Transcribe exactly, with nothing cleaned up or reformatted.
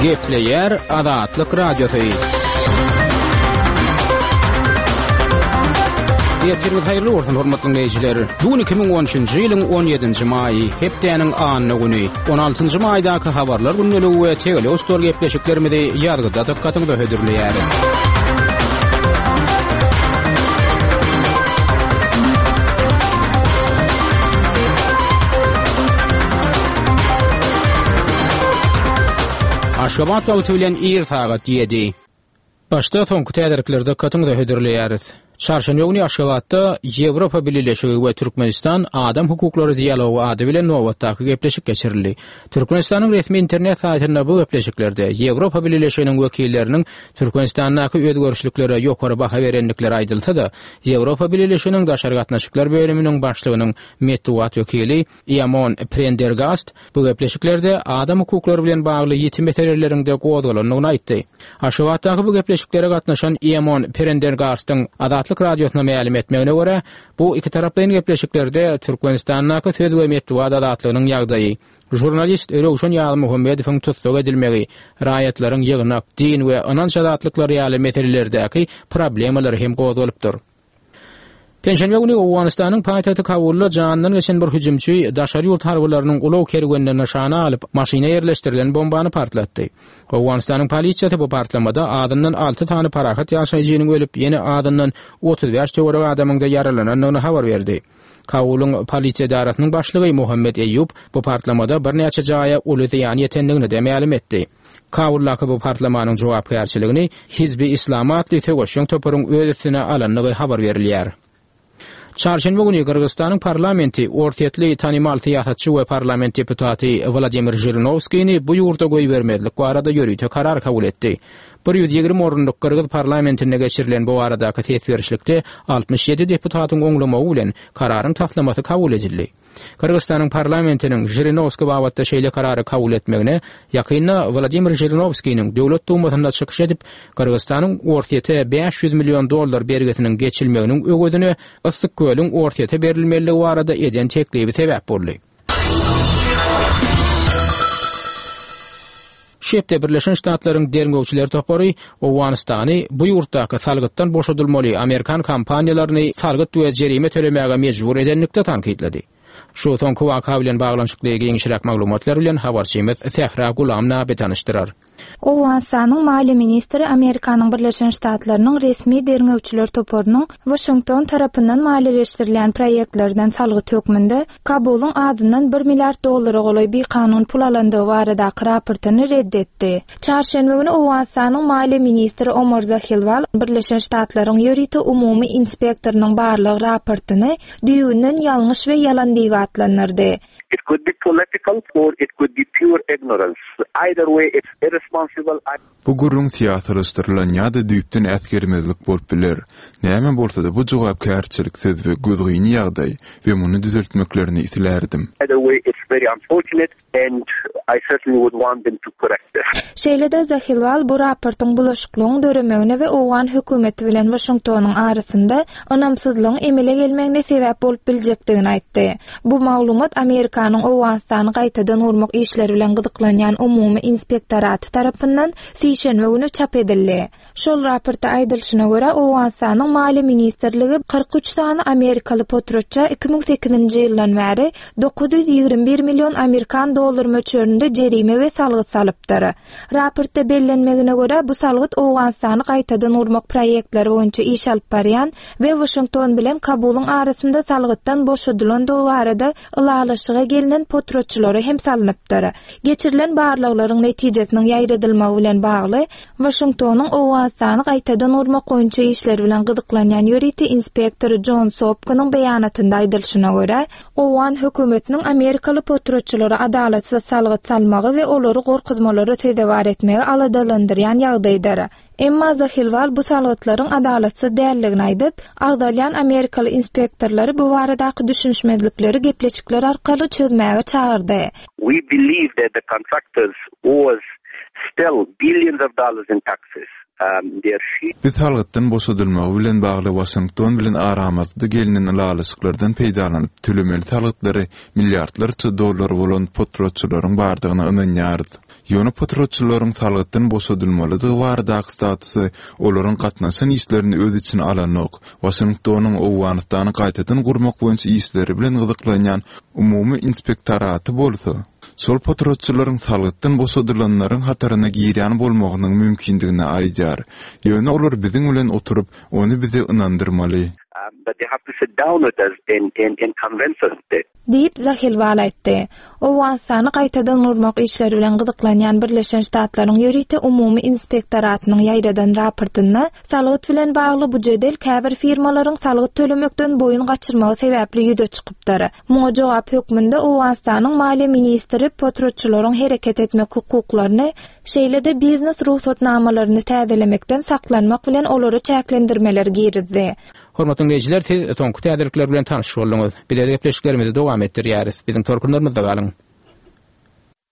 Gepleýär Azatlyk Radiosy. Ertiriňiz haýyrly bolsun, hormatly dinleýjiler. Bu gün iki müň on üçünji ýylyň on ýedinji maýy, hepdäniň anna güni. On altynjy maýdaky habarlar gündeligi we tegelek stol gepleşiklerimizi ýazgyda dykgatyňyza hödürleýäris. Aşgabat wagty bilen ir sagat ýedi. Başda soňky täzelikleri dykgatyňyza hödürleýäris. Çarşenbe güni Aşgabatda Ýewropa Bileleşigi we Türkmenistan adam hukuklary dialogy ady bilen nobatdaky gepleşik geçirildi. Türkmenistanyň resmi internet saýtynda bu gepleşiklerde Ýewropa Bileleşiginiň wekilleriniň Türkmenistandaky özgerişliklere ýokary baha berendikleri aýdylsa-da, Ýewropa Bileleşiginiň daşary gatnaşyklar bölüminiň başlygynyň metbugat wekili Eamon Prendergast bu gepleşiklerde adam hukuklary bilen bagly ýiti meseleleriň-de gozgalandygyny aýtdy. Aşgabatdaky bu gepleşiklere gatnaşan Eamon Prendergastyň Azatlyk Radiosyna mälim etmegine görä, bu ikitaraplaýyn gepleşiklerde Türkmenistandaky söz we metbugat azatlygynyň ýagdaýy, žurnalist Röwşen Ýazmuhammedowyň tussag edilmegi, raýatlaryň ýygnak, din we ynanç azatlyklary ýaly meselelerdäki problemalar hem gozgalypdyr. Penşenbe güni Owganystanyň paýtagty Kabulda janyndan geçen bir hüjümçi daşary ýurt harbylarynyň ulag kerwenini nyşana alyp, maşyna ýerleşdirilen bombany partlatdy. Owganystanyň polisiýasy bu partlamada azyndan alty sany parahat ýaşaýjynyň ölüp, ýene azyndan otuz bäş töweregi adamyň-da ýaralanandygyny habar berdi. Kabulyň polisiýa edarasynyň başlygy Muhammed Eýýub bu partlamada birnäçe jaýa uly zyýan ýetendigini-de mälim etdi. Kabuldaky bu partlamanyň jogapkärçiligini Hizbi Islamy atly söweşjeň toparyň öz üstüne alandygy habar berilýär. Çarşenbe güni Gyrgyzystanyň parlamenti orsýetli tanymal syýasatçy we parlament deputaty Wladimir Žirinowskini bu ýurda goýbermezlik barada ýörite karar kabul etdi. Bir ýüz ýigrimi orunlyk gyrgyz parlamentinde geçirilen bu baradaky ses berişlikde altmyş ýedi deputatyň oňlamagy bilen kararyň taslamasy kabul edildi. Gyrgyzystanyň parlamentiniň Žirinowski babatda şeýle karary kabul etmegine ýakynda Wladimir Žirinowskiniň Döwlet Dumasynda çykyş edip, Gyrgyzystanyň Orsýete bäş ýüz million dollar bergisiniň geçilmeginiň öwezine Yssyk-Kölüň Orsýete berilmelidigi barada eden teklibi sebäp boldy. Şu hepde Birleşen Ştatlaryň derňewçiler topary Owganystany bu ýurtdaky salgytdan boşadylmaly amerikan kompaniýalaryny salgyt we jerime tölemäge mejbur edenlikde tankytlady. Şu soňky waka bilen baglanyşykly giňişräk maglumatlar bilen habarçymyz Sähra Gulam Nabi tanyşdyrar. Owganystanyň maliýe ministri Amerikanyň Birleşen Ştatlarynyň resmi derňewçiler toparynyň Waşington tarapyndan maliýeleşdirilýän proýektlerden salgyt hökmünde Kabulyň adyndan bir milliard dollara golaý bikanun pul alandygy baradaky raportyny red etdi. Çarşenbe güni Owganystanyň maliýe ministri Omar Zahilwal Birleşen Ştatlaryň ýörite umumy inspektorynyň barlyk raportyny düýbünden ýalňyş we ýalan diýip atlandyrdy. It could be political or it could be pure ignorance. Either way, it's irresponsible. Bu gürrüň syýasylaşdyrylan ýa-da düýpden äsgermezlik bolup biler. Näme bolsa-da bu jogapkärçiliksiz we gözgyny ýagdaý we muny düzeltmeklerini islärdim. Either way, it's very unfortunate and I certainly would want them to correct this. Şeýle-de Zahilwal bu raportyň bulaşyklygyň döremegine we owgan hökümeti bilen Waşingtonyň arasynda ynamsyzlygyň emele gelmegine sebäp bolup biljekdigini aýtdy. Bu maglumat Amerikanyň Owganystany gaýtadan gurmak işleri bilen gyzyklanýan umumy inspektoraty tarapyndan sişenbe güni çap edildi. Şol raportda aýdylyşyna görä, Owganystanyň Maliýe ministrligi kyrk üç sany amerikaly potratça iki müň sekizinji ýyldan bäri dokuz ýüz ýigrimi bir million amerikan dollar möçberinde jerime we salgyt salypdyr. Raportda bellenmegine görä, bu salgyt Owganystany gaýtadan gurmak proýektleri boýunça iş alyp barýan we Waşington bilen Kabulyň arasynda salgytdan boşadylandygy barada ylalaşyga gelinen potratçylara hem salynypdyr. Geçirilen barlaglaryň netijesiniň ýaýradylmagy bilen bagly Waşingtonyň Owganystany gaýtadan gurmak boýunça işleri bilen gyzyklanýan ýörite inspektory John Sopkonyň beýanatynda aýdylyşyna görä, Owgan hökümetiniň amerikaly potratçylara adalatsyz salgyt salmagy we olary gorkuzmalara sezewar etmegi aladalandyrýan ýagdaýdyr. Emma Zahilwal bu salgytlaryň adalatsyz däldigini aýdyp, agzalýan amerikaly inspektorlary bu baradaky düşünişmezlikleri gepleşikler arkaly çözmäge çagyrdy. We believe that the contractors was still billions of dollars in taxes. Um, their sheet Biz salgytdan boşadylmagy bilen bagly Waşington bilen aramyzda gelinen ylalaşyklardan peýdalanyp tölemeli salgytlary milliardlarça dollar bolan potratçylaryň bardygyna ynanýarys. Ýöne potratçylaryň salgytdan boşadylmalydygy baradaky statusy olaryň gatnaşan işlerini öz içine alanok. Waşingtonyň Owganystany gaýtadan gurmak boýunça işleri bilen gyzyklanýan umumy inspektoraty bolsa, şol potratçylaryň salgytdan boşadylanlaryň hataryna girýän bolmagynyň mümkindigini aýdýar. Ýöne olar biziň bilen oturyp, ony bize ynandyrmaly. Um, but they have to sit down with us and, and, and convince us that Diýip Zahilwal aýtdy. Owganystany gaýtadan gurmak işleri bilen gyzyklanýan Birleşen Ştatlaryň ýörite umumy inspektoratynyň ýaýradan raportynda salgyt bilen bagly bu jedel käbir firmalaryň salgyt tölemekden boýun gaçyrmagy sebäpli ýüze çykypdyr. Muňa jogap hökmünde Owganystanyň maliýe ministri potratçylaryň hereket etmek hukuklaryny, şeýle-de biznes rugsatnamalaryny täzelemekden saklanmak bilen olary çäklendirmeler girizdi. Hormatly dinleýjiler, siz soňky täzelikler bilen tanyş bolduňyz. Biz gepleşiklerimizi dowam etdirýäris. Biziň tolkunlarymyzda galyň.